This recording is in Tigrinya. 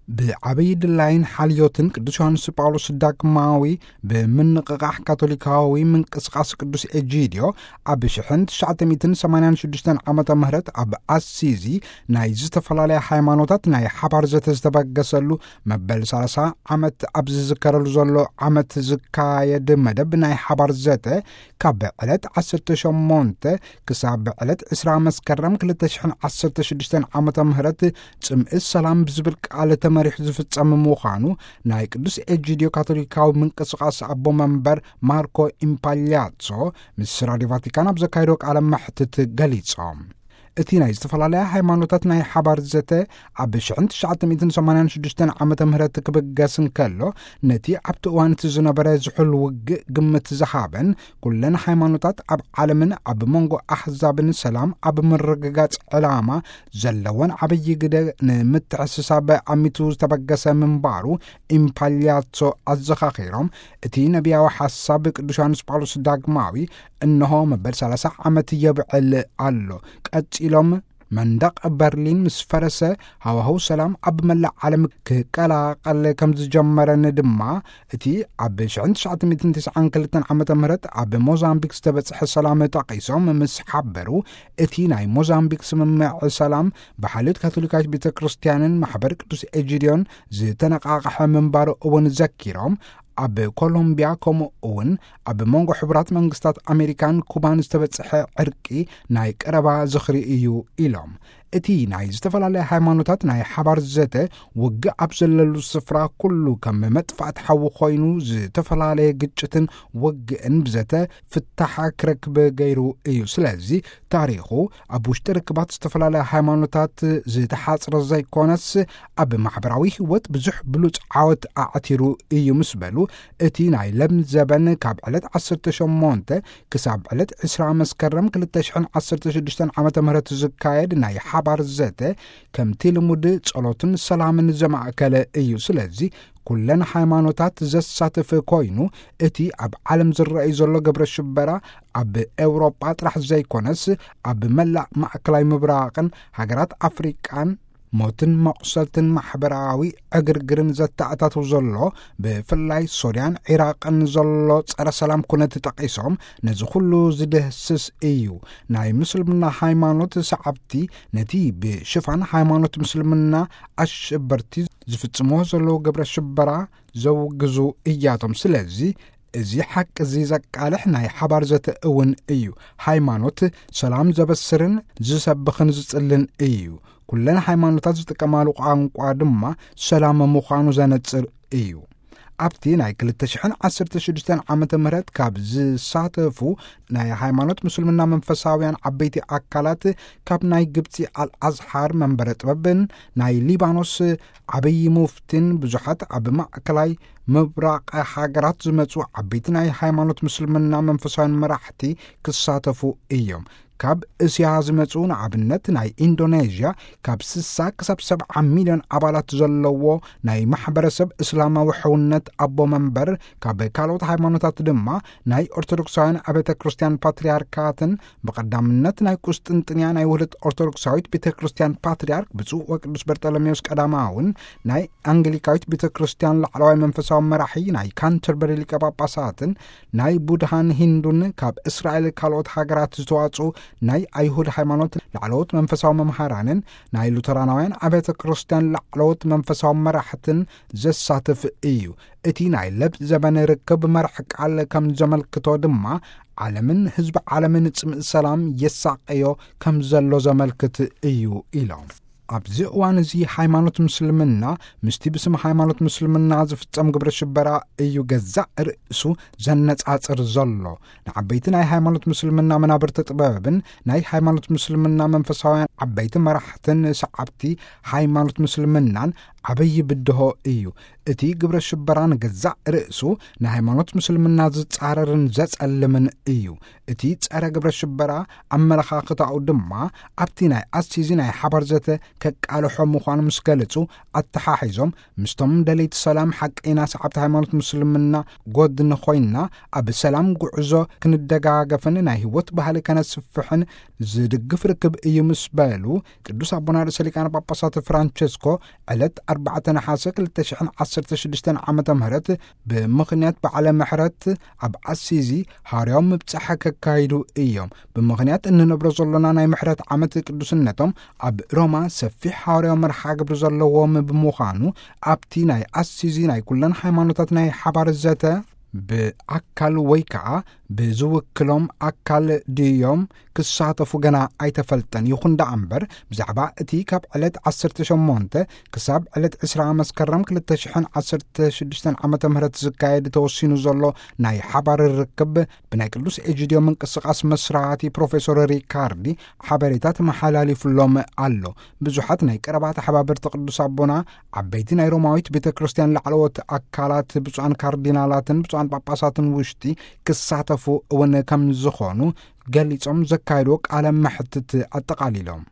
ብዓብዪ ድላይን ሓልዮትን ቅዱስ ዮሃንስ ጳውሎስ ዳግማዊ ብምንቕቓሕ ካቶሊካዊ ምንቅስቓስ ቅዱስ ኤጂድዮ ኣብ ሽሕን ትሽዓተ ሚእትን ሰማንያን ሽዱሽተን ዓመተ ምህረት ኣብ ኣሲዚ ናይ ዝተፈላለያ ሃይማኖታት ናይ ሓባር ዘተ ዝተበገሰሉ መበል ሰላሳ ዓመት ኣብ ዝዝከረሉ ዘሎ ዓመት ዝካየድ መደብ ናይ ሓባር ዘተ ካብ ዕለት ዓሰርተ ሸሞንተ ክሳብ ዕለት ዕስራ መስከረም ክልተ ሽሕን ዓሰርተ ሽዱሽተን ዓመተ ምህረት ጽምኢ ሰላም ብዝብል ቃል ተመሪሑ ዝፍጸም ምዃኑ ናይ ቅዱስ ኤጂድዮ ካቶሊካዊ ምንቅስቓስ ኣቦ መንበር ማርኮ ኢምፓልያሶ ምስ ራድዮ ቫቲካን ኣብ ዘካየዶ ቃለ መሕትት ገሊጾም። እቲ ናይ ዝተፈላለያ ሃይማኖታት ናይ ሓባር ዘተ ኣብ ሽሕን ትሽዓተ ሚእትን ሰማንያን ሽዱሽተን ዓመተ ምህረት ክብገስ እንከሎ፣ ነቲ ኣብቲ እዋን እቲ ዝነበረ ዝሑል ውግእ ግምት ዝሃበን፣ ኩለን ሃይማኖታት ኣብ ዓለምን ኣብ መንጎ ኣሕዛብን ሰላም ኣብ ምርግጋጽ ዕላማ ዘለወን ዓብዪ ግደ ንምትሕስሳብ ኣሚቱ ዝተበገሰ ምንባሩ ኢምፓልያሶ ኣዘኻኺሮም፣ እቲ ነቢያዊ ሓሳብ ቅዱስ ዮሃንስ ጳውሎስ ዳግማዊ እንሆ መበል ሰላሳ ዓመት የብዕል ኣሎ። ቀጺሎም መንደቕ በርሊን ምስ ፈረሰ፣ ሃዋህው ሰላም ኣብ መላእ ዓለም ክቀላቐል ከም ዝጀመረን ድማ፣ እቲ ኣብ ሽሕን ትሽዓተ ሚእትን ተስዓን ክልተን ዓመተ ምህረት ኣብ ሞዛምቢክ ዝተበጽሐ ሰላም ጠቒሶም ምስ ሓበሩ፣ እቲ ናይ ሞዛምቢክ ስምምዕ ሰላም ብሓልዮት ካቶሊካዊት ቤተ ክርስቲያንን ማሕበር ቅዱስ ኤጂድዮን ዝተነቓቕሐ ምንባሩ እውን ዘኪሮም፣ ኣብ ኮሎምቢያ ከምኡ እውን ኣብ መንጎ ሕቡራት መንግስታት ኣሜሪካን ኩባን ዝተበጽሐ ዕርቂ ናይ ቀረባ ዝኽሪ እዩ ኢሎም። እቲ ናይ ዝተፈላለያ ሃይማኖታት ናይ ሓባር ዘተ ውግእ ኣብ ዘለሉ ስፍራ ኩሉ ከም መጥፋእቲ ሓዊ ኮይኑ ዝተፈላለየ ግጭትን ውግእን ብዘተ ፍታሕ ክረክብ ገይሩ እዩ። ስለዚ ታሪኹ ኣብ ውሽጢ ርክባት ዝተፈላለያ ሃይማኖታት ዝተሓጽረ ዘይኮነስ ኣብ ማሕበራዊ ህይወት ብዙሕ ብሉጽ ዓወት ኣዕቲሩ እዩ ምስ በሉ፣ እቲ ናይ ለም ዘበን ካብ ዕለት ዓሰርተ ሸሞንተ ክሳብ ዕለት ዕስራ መስከረም ክልተ ሽሕን ዓሰርተ ሽዱሽተን ዓመተ ምህረት ዝካየድ ናይ ሓባር ዘተ ከምቲ ልሙድ ጸሎትን ሰላምን ዘማእከለ እዩ። ስለዚ ኩለን ሃይማኖታት ዘሳትፍ ኮይኑ፣ እቲ ኣብ ዓለም ዝረኣይ ዘሎ ግብረ ሽበራ ኣብ ኤውሮጳ ጥራሕ ዘይኮነስ ኣብ መላእ ማእከላይ ምብራቕን ሃገራት ኣፍሪቃን ሞትን መቑሰልትን ማሕበራዊ ዕግርግርን ዘተኣታትው ዘሎ፣ ብፍላይ ሶርያን ዒራቕን ዘሎ ጸረ ሰላም ኩነት ጠቒሶም፣ ነዚ ኩሉ ዝድህስስ እዩ። ናይ ምስልምና ሃይማኖት ሰዓብቲ ነቲ ብሽፋን ሃይማኖት ምስልምና ኣሸበርቲ ዝፍጽምዎ ዘለዉ ግብረ ሽበራ ዘውግዙ እያቶም። ስለዚ እዚ ሓቂ እዚ ዘቃልሕ ናይ ሓባር ዘተ እውን እዩ። ሃይማኖት ሰላም ዘበስርን ዝሰብኽን ዝጽልን እዩ። ኩለን ሃይማኖታት ዝጥቀማሉ ቋንቋ ድማ ሰላም ምዃኑ ዘነጽር እዩ። ኣብቲ ናይ ክልተ ሽሕን ዓሰርተ ሽዱሽተን ዓመተ ምህረት ካብ ዝሳተፉ ናይ ሃይማኖት ምስልምና መንፈሳውያን ዓበይቲ ኣካላት፣ ካብ ናይ ግብጺ ኣልኣዝሓር መንበረ ጥበብን ናይ ሊባኖስ ዓብዪ ሙፍቲን ብዙሓት ኣብ ማእከላይ ምብራቕ ሃገራት ዝመጹ ዓበይቲ ናይ ሃይማኖት ምስልምና መንፈሳውያን መራሕቲ ክሳተፉ እዮም። ካብ እስያ ዝመጹ፣ ንኣብነት ናይ ኢንዶኔዥያ፣ ካብ ስሳ ክሳብ ሰብዓ ሚልዮን ኣባላት ዘለዎ ናይ ማሕበረሰብ እስላማዊ ሕውነት ኣቦ መንበር፣ ካብ ካልኦት ሃይማኖታት ድማ ናይ ኦርቶዶክሳውያን ኣብያተ ክርስቲያን ፓትርያርካትን ብቐዳምነት ናይ ቁስጥንጥንያ ናይ ውህደት ኦርቶዶክሳዊት ቤተ ክርስቲያን ፓትርያርክ ብፁዕ ወቅዱስ በርጠለሜዎስ ቀዳማውን ናይ ኣንግሊካዊት ቤተ ክርስቲያን ላዕለዋይ መንፈሳዊ መራሒ ናይ ካንተርበሪ ሊቀ ጳጳሳትን ናይ ቡድሃን ሂንዱን ካብ እስራኤል ካልኦት ሃገራት ዝተዋጽኡ ናይ ኣይሁድ ሃይማኖት ላዕለዎት መንፈሳዊ መምሃራንን ናይ ሉተራናውያን ኣብያተ ክርስቲያን ላዕለዎት መንፈሳዊ መራሕትን ዘሳትፍ እዩ። እቲ ናይ ለብ ዘበነ ርክብ መራሕ ቃል ከም ዘመልክቶ ድማ ዓለምን ህዝቢ ዓለምን ጽምእ ሰላም የሳቀዮ ከም ዘሎ ዘመልክት እዩ ኢሎም። ኣብዚ እዋን እዚ ሃይማኖት ምስልምና ምስቲ ብስም ሃይማኖት ምስልምና ዝፍጸም ግብረ ሽበራ እዩ ገዛእ ርእሱ ዘነጻጽር ዘሎ። ንዓበይቲ ናይ ሃይማኖት ምስልምና መናብርቲ ጥበብን ናይ ሃይማኖት ምስልምና መንፈሳውያን ዓበይቲ መራሕትን ሰዓብቲ ሃይማኖት ምስልምናን ዓበይ ብድሆ እዩ። እቲ ግብረ ሽበራ ንገዛእ ርእሱ ንሃይማኖት ምስልምና ዝጻረርን ዘጸልምን እዩ። እቲ ጸረ ግብረ ሽበራ ኣመለኻኽታኡ ድማ ኣብቲ ናይ ኣሲዚ ናይ ሓባር ዘተ ከቃልሖ ምዃኑ ምስ ገለጹ፣ ኣተሓሒዞም ምስቶም ደለይቲ ሰላም ሓቀይና ሰዓብቲ ሃይማኖት ምስልምና ጎድኒ ኮይንና ኣብ ሰላም ጉዕዞ ክንደጋገፍን ናይ ህይወት ባህሊ ከነስፍሕን ዝድግፍ ርክብ እዩ ምስ በሉ፣ ቅዱስ ኣቦና ርእሰ ሊቃነ ጳጳሳት ፍራንቸስኮ ዕለት ኣርባዕተ ነሓሰ ክልተ ሽሕን ዓሰርተ ሽዱሽተን ዓመተ ምህረት ብምኽንያት በዓለ ምሕረት ኣብ ኣሲዚ ሃዋርያዊ ምብጻሕ ከካይዱ እዮም። ብምኽንያት እንነብሮ ዘሎና ናይ ምሕረት ዓመት ቅዱስነቶም ኣብ ሮማ ሰፊሕ ሃዋርያዊ መርሓ ግብሪ ዘለዎም ብምዃኑ ኣብቲ ናይ ኣሲዚ ናይ ኩለን ሃይማኖታት ናይ ሓባር ዘተ ብኣካል ወይ ከዓ ብዝውክሎም ኣካል ድዮም ክሳተፉ ገና ኣይተፈልጠን። ይኹን ደኣ እምበር ብዛዕባ እቲ ካብ ዕለት ዓሰርተ ሸሞንተ ክሳብ ዕለት ዕስራ መስከረም ክልተ ሽሕን ዓሰርተ ሽዱሽተን ዓመተ ምህረት ዝካየድ ተወሲኑ ዘሎ ናይ ሓባር ርክብ ብናይ ቅዱስ ኤጂድዮ ምንቅስቃስ መስራቲ ፕሮፌሶር ሪካርዲ ሓበሬታ ተመሓላሊፉሎም ኣሎ። ብዙሓት ናይ ቀረባ ተሓባበርቲ ቅዱስ ኣቦና ዓበይቲ ናይ ሮማዊት ቤተ ክርስቲያን ላዕለዎት ኣካላት ብፁዓን ካርዲናላትን ብፁዓን ጳጳሳትን ውሽጢ ክሳተፉ እውን ከም ዝኾኑ ገሊጾም ዘካየድዎ ቃለ መሕትት ኣጠቓሊሎም።